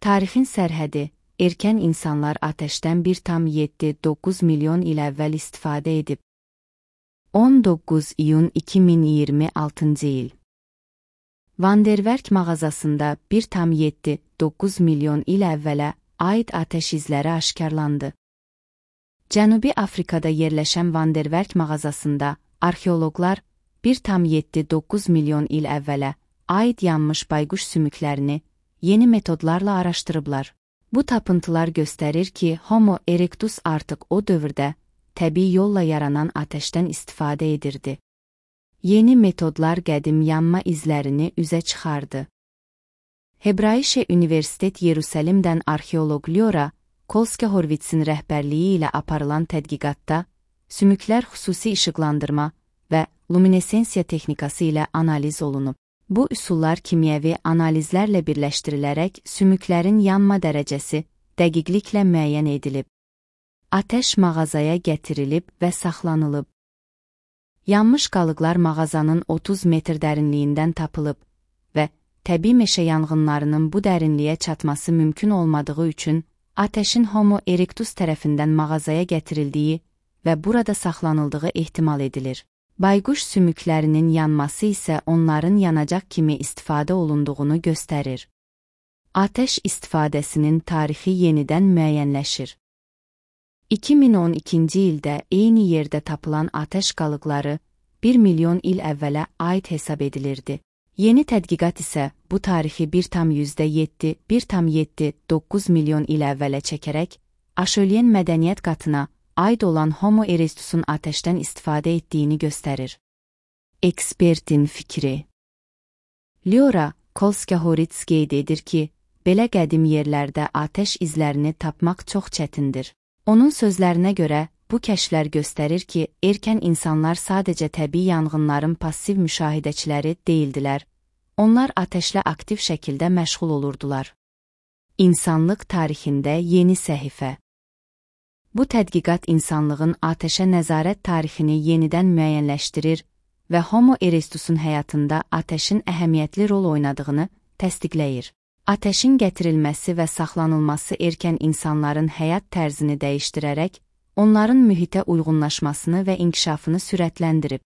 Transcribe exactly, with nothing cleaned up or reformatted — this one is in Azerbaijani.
Tarixin sərhədi, erkən insanlar atəşdən bir tam yeddi doqquz milyon il əvvəl istifadə edib. on doqquz iyun iki min iyirmi altıncı il. Vanderwerk mağazasında bir tam yeddi doqquz milyon il əvvələ aid atəş izləri aşkarlandı. Cənubi Afrikada yerləşən Vanderwerk mağazasında arxeoloqlar bir tam yeddi doqquz milyon il əvvələ aid yanmış bayquş sümüklərini yeni metodlarla araşdırıblar. Bu tapıntılar göstərir ki, Homo erectus artıq o dövrdə təbii yolla yaranan atəşdən istifadə edirdi. Yeni metodlar qədim yanma izlərini üzə çıxardı. Hebraişe Universitet Yerusəlimdən arxeoloq Lyora Kolske-Horvitzin rəhbərliyi ilə aparılan tədqiqatda sümüklər xüsusi işıqlandırma və luminesensiya texnikası ilə analiz olunub. Bu üsullar kimyəvi analizlərlə birləşdirilərək sümüklərin yanma dərəcəsi dəqiqliklə müəyyən edilib. Atəş mağazaya gətirilib və saxlanılıb. Yanmış qalıqlar mağazanın otuz metr dərinliyindən tapılıb və təbii meşə yanğınlarının bu dərinliyə çatması mümkün olmadığı üçün atəşin Homo erectus tərəfindən mağazaya gətirildiyi və burada saxlanıldığı ehtimal edilir. Bayquş sümüklərinin yanması isə onların yanacaq kimi istifadə olunduğunu göstərir. Atəş istifadəsinin tarixi yenidən müəyyənləşir. iki min on ikinci ildə eyni yerdə tapılan atəş qalıqları bir milyon il əvvələ aid hesab edilirdi. Yeni tədqiqat isə bu tarixi bir tam yeddi bir tam yeddi doqquz milyon il əvvələ çəkərək Aşölyen mədəniyyət qatına aid olan Homo erectusun atəşdən istifadə etdiyini göstərir. Ekspertin fikri. Lyora Kolske-Horvitz qeyd edir ki, belə qədim yerlərdə atəş izlərini tapmaq çox çətindir. Onun sözlərinə görə, bu kəşflər göstərir ki, erkən insanlar sadəcə təbii yanğınların passiv müşahidəçiləri deyildilər, onlar atəşlə aktiv şəkildə məşğul olurdular. İnsanlıq tarixində yeni səhifə. Bu tədqiqat insanlığın atəşə nəzarət tarixini yenidən müəyyənləşdirir və Homo erectusun həyatında atəşin əhəmiyyətli rol oynadığını təsdiqləyir. Atəşin gətirilməsi və saxlanılması erkən insanların həyat tərzini dəyişdirərək, onların mühitə uyğunlaşmasını və inkişafını sürətləndirib.